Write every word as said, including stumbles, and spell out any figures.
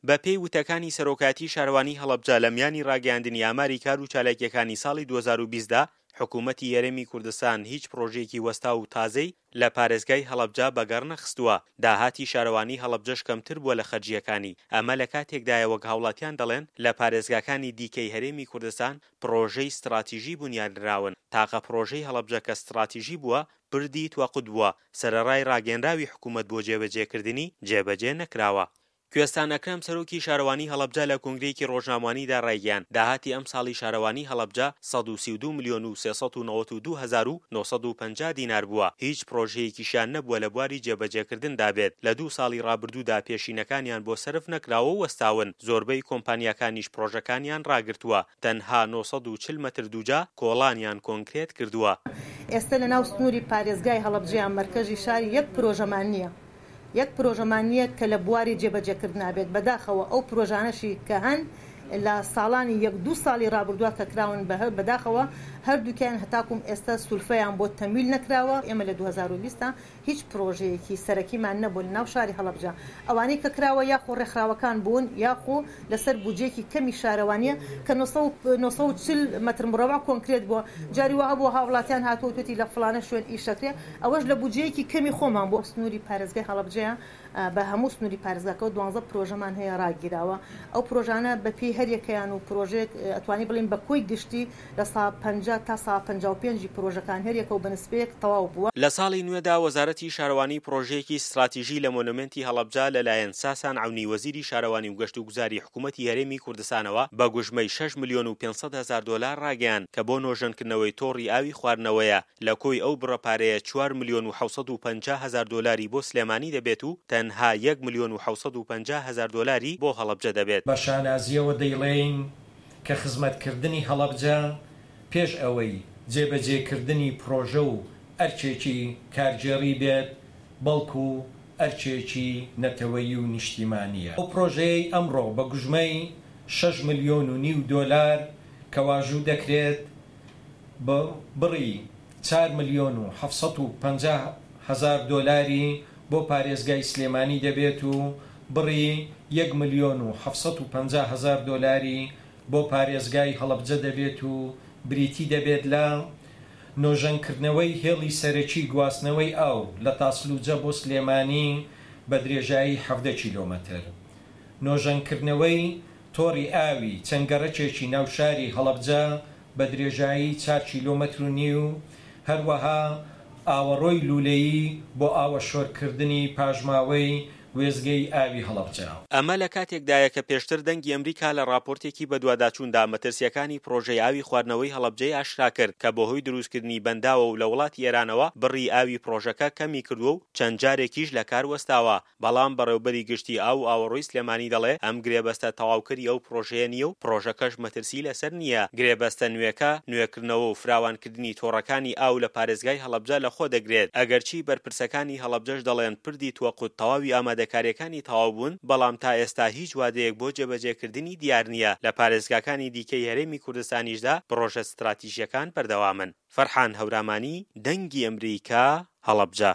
بەپێی وتەکانی سەرۆکایەتی شارەوانی هەڵەبجە لە میانی ڕاگەیاندنی ئاماری کار و چالاکییەکانی ساڵی دوو هەزار و بیست دا، حکوومەتی هەرێمی کوردستان هیچ پڕۆژەیەکی وەستاو و تازەی لە پارێزگای هەڵەبجە بەگەڕ نەخستووە، داهاتی شارەوانی هەڵەبجەش کەمتر بووە لە خەرجییەکانی، ئەمە لە کاتێکدایە وەک هاوڵاتیان دەڵێن لە پارێزگاکانی دیکەی هەرێمی کوردستان پڕۆژەی ستڕاتیژی بونیادنراون، تاقە پڕۆژەی هەڵەبجە کە ستڕاتیژی بووە پردی توەقوت بووە، سەرەڕای ڕاگەیەنراوی حکوومەت بۆ جێبەجێکردنی، جێبەجێ نەکراوە. کوێستان ئەکرەم سەرۆکی شارەوانی هەڵەبجە لە کۆنگرەیەکی ڕۆژنامەوانیدا ڕایگەیاند، داهاتی ئەمساڵی شارەوانی هەڵەبجە سەد و سی و دوو ملیۆن و سێ سەد و نەوەد و دوو هەزار و نۆ سەد و پەنجا دینار بووە، هیچ پڕۆژەیەکیشیان نەبووە لە بواری جێبەجێکردندا بێت، لە دوو ساڵی ڕابردوودا پێشینەکانیان بۆ سەرف نەکراوە و وەستاون، زۆربەی کۆمپانیاکانیش پڕۆژەکانیان ڕاگرتووە، تەنها نۆ سەد و چل مەتر دووجا کۆڵانیان کۆنکرێت کردووە. ئێستا لەناو سنووری پارێزگای هەڵەبجە یان مەرکەزی شار یەک پرۆژەمان نییە، یەک پرۆژەمان نییە کە لە بواری جێبەجێکردنا بێت. بەداخەوە ئەو پرۆژانەشی کە هەن لە ساڵانی یەک دوو ساڵی ڕابردووە کە کراون بەداخەوە هەردووکیان هەتاکوم ئێستا سولفەیان بۆ تەمویل نەکراوە. ئێمە لە دوو هەزار و بیست هیچ پرۆژەیەکی سەرەکیمان نەبوو لە ناو شاری هەڵەبجە. ئەوانەی کە کراوە یاخۆ ڕێکخراوەکان بوون یاخۆ لەسەر بودجەیەکی کەمی شارەوانیە کە نۆ سەد و چل مەتر مربع کۆنکرێت بووە. جاری وا هەبووە هاوڵاتیان هاتووە توێتی لە فڵانە شوێن ئیشەکرێ، ئەوەش لە بودجەیەکی کەمی خۆمان بۆ سنووری پارێزگای هەڵەبجەیە. بە هەموو سنووری پارێزگاکەەوە دوانزە پرۆژەمان هەیە ڕاگیراوە. ئەو پرۆژانە بەپێی هەریەکەیان و پرۆژێک ئەتوانی بڵین بە کۆی گشتی لە سا پەنجا تا سا پەنجا و پێنجی پرۆژەکان هەریەکەوە بە نسبەیەک تەواو بووە. لە ساڵی نوێدا وەزارەتی شارەوانی پرۆژەیەکی ستراتیژی لە مۆنۆمێنتی هەڵەبجە لەلایەن ساسان عەونی وەزیری شارەوانی و گەشت و گوزاری حکوومەتی هەرێمی کوردستانەوە بە گوژمەی شەش ملیۆن و پێنج سەد هەزار دۆلار ڕاگەیان کە بۆ نۆژەنکردنەوەی تۆڕی ئاوی خواردنەوەیە. لە کۆی ئەو بڕە پارەیە چوار ملیۆن و حەوت سەد و پەنجا هەزار دۆلاری بۆ سلێمانی دەبێت و تەنها یەک ملیۆن و حەوت سەد و پەنجا هەزار دۆلاری بۆ هەڵەبجە دەبێت. بە شانازیەوە دەیڵێین کە خزمەتکردنی هەڵەبجە پێش ئەوەی جێبەجێکردنی پرۆژە و ئەرکێکی کارگێڕی بێت، بەڵکو ئەرکێکی نەتەوەیی و نیشتیمانییە. ئەو پرۆژەیەی ئەمڕۆ بە گوژمەی شەش ملیۆن و نیو دۆلار کە واژوو دەکرێت، بڕی چوار ملیۆن و حەفت سەد و پەنجا هەزار دۆلاری بۆ پارێزگای سلێمانی دەبێت و بڕی یەک ملیۆن و حەفت سەد و پەنجا هەزار دۆلاری بۆ پارێزگای هەڵەبجە دەبێت و بریتی دەبێت لە نۆژەنکردنەوەی هێڵی سەرەکی گواستنەوەی ئاو لە تاسلوجە بۆ سلێمانی بە درێژایی حەڤدە کیلۆمەتر، نۆژەنکردنەوەی تۆڕی ئاوی چەند گەڕەکێکی ناوشاری هەڵەبجە بە درێژایی چوار کیلۆمەتر و نیو، هەروەها ئاوەڕۆی لولەیی بۆ ئاوە شۆرکردنی پاشماوەی وێزگەی ئاوی هەڵەبجە. ئەمە لە کاتێکدایە کە پێشتر دەنگی ئەمریکا لە ڕاپۆرتێکی بەدواداچووندا مەترسیەکانی پرۆژەی ئاوی خواردنەوەی هەڵەبجەی ئاشکرا کرد کە بەهۆی دروستکردنی بەنداوە و لە وڵاتی ئێرانەوە بڕی ئاوی پرۆژەکە کەمی کردووە و چەند جارێکیش لە کار وەستاوە. بەڵام بەڕێوبەری گشتی ئاو و ئاوەڕۆی سلێمانی دەڵێ ئەم گرێبەستە تەواوکەری ئەو پرۆژەیە نییە و پرۆژەکەش مەترسی لەسەر نییە. گرێبەستە نوێکە نوێکردنەوە و فراوانکردنی تۆڕەکانی ئاو لە پارێزگای هەڵەبجە لەخۆ دەگرێت. ئەگەرچی بەرپرسەکانی هەڵەبجەش دەڵێن پردی توەقوت تەواوی ئامادەکاریەکانی تەواو بوون، بەڵام تا ئێستا هیچ وادەیەک بۆ جێبەجێکردنی دیار نییە. لە پارێزگاکانی دیکەی هەرێمی کوردستانیشدا پرۆژە ستراتیژیەکان بەردەوامن. فەرحان هەورامانی، دەنگی ئەمریکا، هەڵەبجە.